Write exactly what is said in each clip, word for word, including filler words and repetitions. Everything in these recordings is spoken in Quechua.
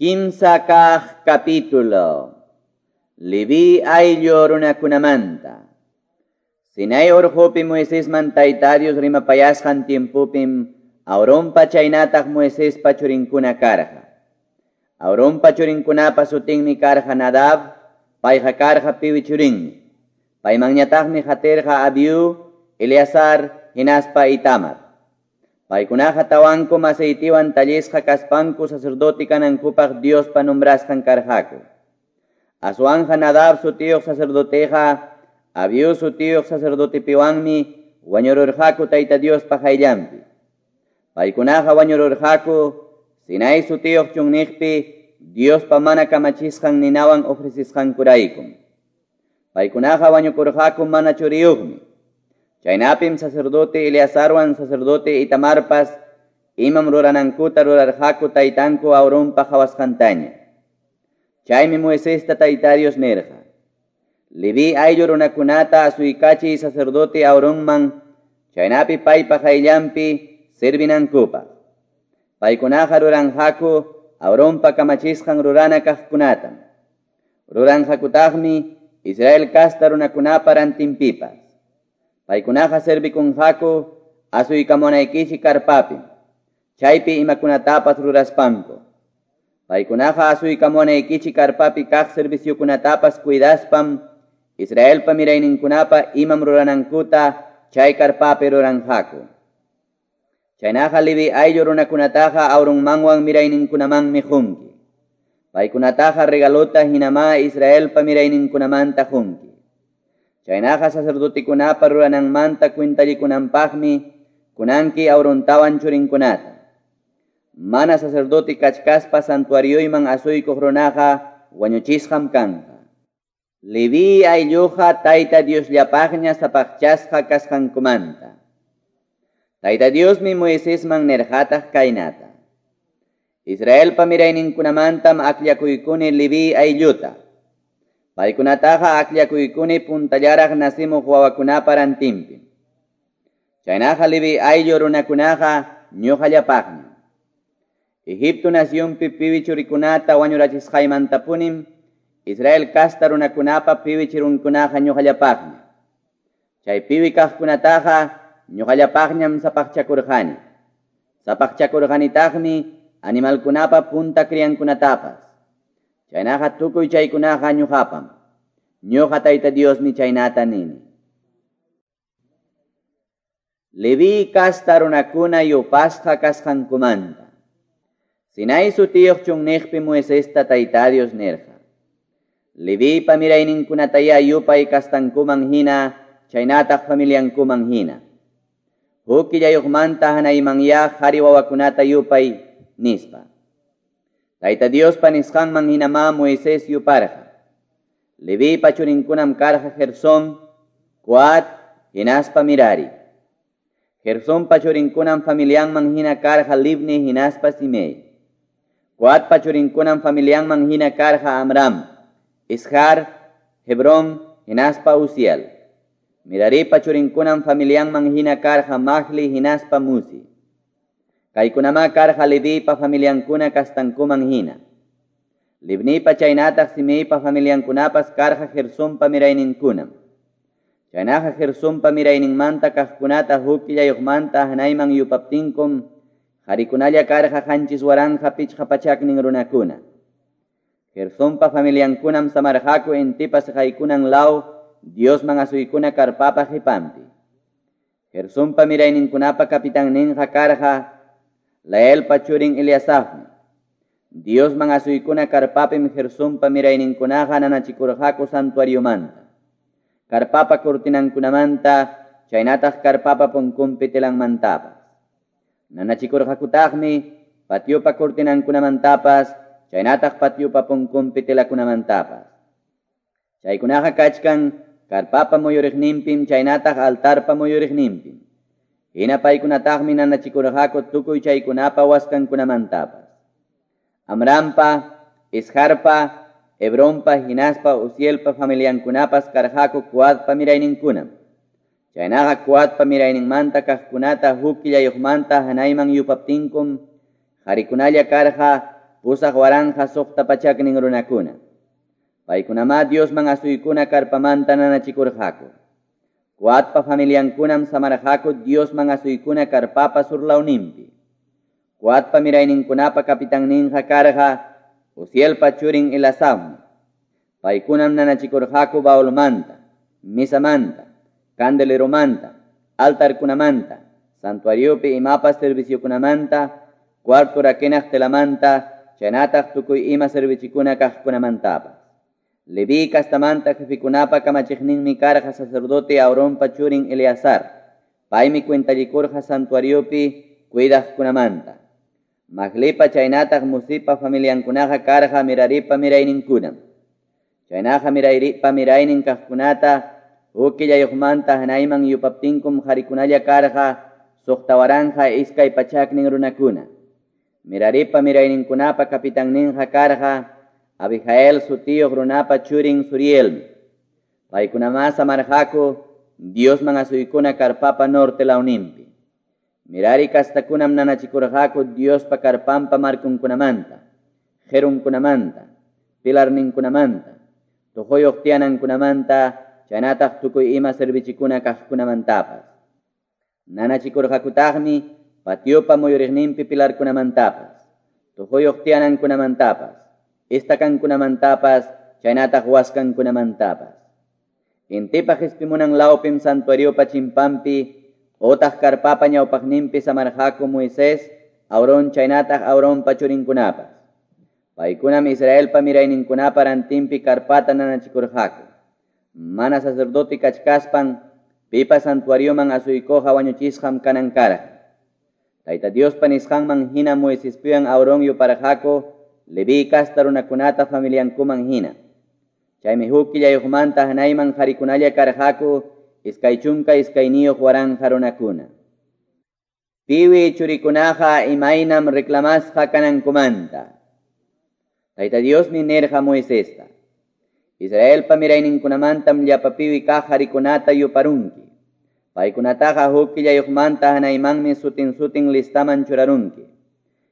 Kimsa kaq capítulo. Leví ayllu runakunamanta. Sinai urqupi Moisesman Tayta Dios rimapayasqan tiempopim Aaronpa chaynataq Moisespa churinkuna karqa. Aaronpa churinkunapa sutinmi karqa Nadab, payqa karqa piwi churinmi. Paymanñataqmi qatirqa Abiú, Eleazar, hinaspa Itamar. Paykunaqa tawankum aceitiwan tallisqa kaspanku sacerdote kanankupaq Diospa nombrasqan karqaku. Aswanja Nadab sutiyuq sacerdoteqa Abiú sutiyuq sacerdotepiwanmi wañururqaku Tayta Diospa qayllanpi. Paykunaqa wañururqaku Sinai sutiyuq chunniqpi Diospa mana kamachisqan ninawan ofrecisqankuraykum. Paykunaqa wañukurqaku mana churiyuqmi. Chaynapim sacerdote Eleazarwan sacerdote Itamarpas imam ruranankuta rurarqaku taytanku Aaronpa qhawasqantaña. Chaymi Moisesta Tayta Dios nirqa: Leví ayllu runakunata asuykachiy sacerdote Aaronman, chaynapi paypa qayllanpi servinankupaq. Paykunaqa ruranqaku Aaronpa kamachisqan rurana kaqkunatam. Ruranqakutaqmi Israel kasta runakunapa rantinpipas. Paykunaqa servikunqaku asuykamunaykichik karpapi, chaypi imakunatapas ruraspanku. Paykunaqa asuykamunaykichik karpapi kaq serviciokunatapas cuidaspam Israelpa mirayninkunapa imam ruranankuta chay karpapi ruranqaku. Chaynaqa Leví ayllu runakunataqa Aaronmanwan mirayninkunamanmi qunki. Paykunataqa regalota hinama Israelpa mirayninkunamanta qunki. Chaynaqa sacerdotekunapa rurananmanta cuentallikunanpaqmi kunanki Aarontawan churinkunata. Mana sacerdote kachkaspa santuarioyman asuykuq runaqa wañuchisqam kanqa. Leví aylluqa Tayta Diosllapaqña sapaqchasqa kasqankumanta. Tayta Diosmi Moisesman nirqataq kaynata: Israelpa mirayninkunamantam akllakuykuni Leví aylluta. Paykunataqa akllakuykuni puntallaraq nasimuq wawakunapa rantinpi. Chaynaqa Leví ayllu runakunaqa ñuqallapaqmi. Egipto nacionpi piwi churikunata wañurachisqaymantapunim Israel kasta runakunapa piwi churunkunaqa ñuqallapaqmi. Chay piwi kaqkunataqa ñuqallapaqñam sapaqchakurqani. Sapaqchakurqanitaqmi animalkunapa punta criankunatapas. Chaynaqa tukuy chaykunaqa ñuqapam. Ñuqa Tayta Diosmi chaynata nini. Leví kasta runakuna yupasqa kasqankumanta. Sinai sutiyuq chunniqpi Moisesta Tayta Dios nirqa: Levipa mirayninkunataya yupay kastankuman hina, chaynataq familiankuman hina. Huk killayuqmanta hanaymanya qhari wawakunata yupay, nispa. Tayta Diospa nisqanman hinamá Moisés yuparqa. Levipa churinkunam karqa Gersón, Coat, hinaspa Mirari. Gersonpa churinkunam familianman hina karqa Libni hinaspa Simei. Coatpa churinkunam familianman hina karqa Amram, Ishar, Hebrón, hinaspa Uziel. Miraripa churinkunam familianman hina karqa Mahli hinaspa Musi. Kaykunamá karqa Levipa familiankuna kastankuman hina. Libnipa chaynataq Simeipa familiankunapas karqa Gersonpa mirayninkunam. Chaynaqa Gersonpa mirayninmanta kaqkunata huk killayuqmanta hanayman yupaptinkum qharikunalla karqa qanchis waranqa pichqa pachaknin runakuna. Gersonpa familiankunam samarqaku intipa siqaykunan law Diosman asuykuna karpapa qipanpi. Gersonpa mirayninkunapa kapitanninqa karqa Laelpa churin Eliasafmi. Diosman asuykuna karpapim Gersonpa mirayninkunaqa nanachikurqaku santuariomanta, karpapa cortinankunamanta, chaynataq karpapa punkunpi telanmantapas. Nanachikurqakutaqmi patiopa cortinankunamantapas, chaynataq patiopa punkunpi telakunamantapas. Chaykunaqa kachkan karpapa muyuriqninpim chaynataq altarpa muyuriqninpim. Hina paykunataqmi nanachikurqaku tukuy chaykunapa waskankunamantapas. Amrampa, Isharpa, Hebronpa, hinaspa Uzielpa familiankunapas karqaku Coatpa mirayninkunam. Chaynaqa Coatpa mirayninmanta kaqkunata huk killayuqmanta hanayman yupaptinkum qharikunalla karqa pusaq waranqa suqta pachaknin runakuna. Paykunamá Diosman asuykuna karpamanta nanachikurqaku. Coatpa familiankunam samarqaku Diosman asuykuna karpapa surlawninpi. Coatpa mirayninkunapa capitanninqa karqa Uzielpa churin Elasafmi. Paykunam nanachikurqaku baulmanta, misamanta, candeleromanta, altarkunamanta, santuariopi imapas serviciokunamanta, cuarto rakinaq telamanta, chaynataq tukuy ima servichikuna kaqkunamantapas. Leví castamanta jefikunapa kamachiqninmi karqa sacerdote Aaronpa churin Eleazar. Paymi cuentallikurqa santuariopi cuidaqkunamanta. Mahlipa chaynataq Musipa familiankunaqa karqa Meraripa mirayninkunam. Chaynaqa Meraripa miraynin kaqkunata huk killayuqmanta hanayman yupaptinkum qharikunalla karqa suqta waranqa iskay pachaknin runakuna. Meraripa mirayninkunapa capitanninqa karqa Abijael sutiyuq runapa churin Surielmi. Paykunamá samarqaku Diosman asuykuna karpapa norte lawninpi. Merari kastakunam nanachikurqaku Diospa karpanpa markunkunamanta, qirunkunamanta, pilarninkunamanta, tuquyuq tiyanankunamanta, chaynataq tukuy ima servichikuna kaqkunamantapas. Nanachikurqakutaqmi patiopa muyuriqninpi pilarkunamantapas, tuquyuq tiyanankunamantapas, estacankunamantapas, chaynataq waskankunamantapas. Intipa qispimunan lawpim santuariopa chimpampi, otaq karpapa ñawpaqninpi samarqaku Moisés, Aarón chaynataq Aaronpa churinkunapas. Paykunam Israelpa mirayninkunapa rantinpi karpata nanachikurqaku. Mana sacerdote kachkaspan, pipa santuarioman asuykuqa wañuchisqam kanan karqa. Tayta Diospa nisqanman hina Moisespiwan Aarón yuparqaku Leví kasta runakunata familiankuman hina. Chaymi huk killayuqmanta hanayman qharikunalla karqaku iskay chunka iskayniyuq waranqa runakuna. Piwi churikunaqa imaynam reclamasqa kanankumanta. Tayta Diosmi nirqa Moisesta: Israelpa mirayninkunamantam llapa piwi kaq qharikunata yuparunki. Paykunataqa huk killayuqmanta hanaymanmi sutin sutin listaman churarunki.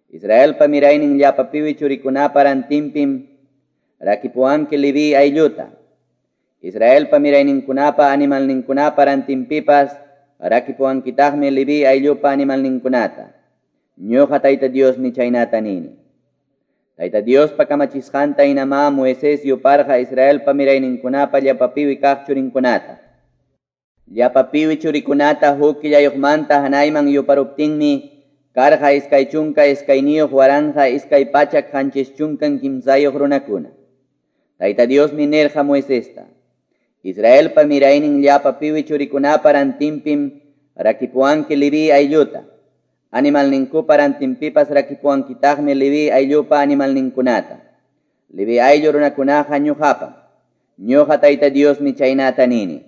Israelpa miraynin llapa piwi churikunapa rantinpim rakipuwanki Leví aylluta. Israelpa mirayninkunapa animalninkunapa rantinpipas rakipuwankitaqmi Leví ayllupa animalninkunata. Ñuqa Tayta Diosmi chaynata nini. Tayta Diospa kamachisqanta hinamá Moisés yuparqa Israelpa mirayninkunapa llapa piwi kaq churinkunata. Llapa piwi churikunata huk killayuqmanta hanayman yuparuptinmi karqa iskay chunka iskayniyuq waranqa iskay pachak qanchis chunkan kimsayuq runakuna. Tayta Diosmi nirqa Moisesta: Israelpa miraynin llapa piwi churikunapa rantinpim rakipuwanki Leví aylluta. Animalninkupa rantinpipas rakipuwankitaqmi Leví ayllupa animalninkunata. Leví ayllu runakunaqa ñuqapam. Ñuqa Tayta Diosmi chaynata nini.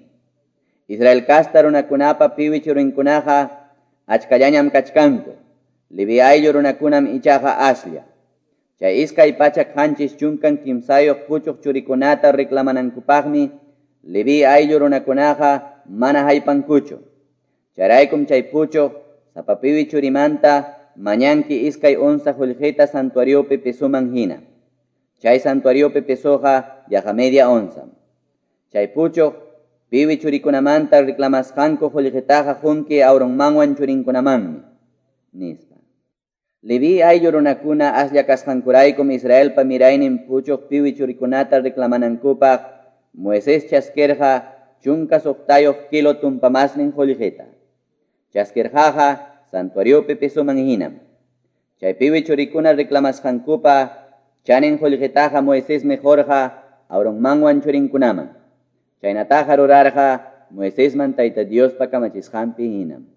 Israel kasta runakunapa piwi churinkunaqa achkallañam kachkanku. Leví ayllu runakunam ichaqa aslla. Chay iskay pachak qanchis chunkan kimsayuq puchuq churikunata reclamanankupaqmi Leví ayllu runakunaqa mana haypankuchu. Chayraykum chay puchuq sapa piwi churimanta mañanki iskay onza qullqita santuariopi pesoman hina. Chay santuariopi pesoqa yaqa media onzam. Chay puchuq piwi churikunamanta reclamasqanku qullqitaqa qunki Aaronmanwan churinkunamanmi, nispa. Leví ayllu runakuna aslla kasqankuraykum Israelpa miraynin puchuq piwi churikunata reclamanankupaq Moisés chaskirqa chunka suqtayuq kilo tumpamasnin qullqita. Chaskirqaqa santuariopi pesoman hinam. Chay piwi churikuna reclamasqankupa chanin qullqitaqa Moisesmi qurqa Aaronmanwan churinkunaman. Chaynataqa rurarqa Moisesman Tayta Diospa kamachisqanpi hinam.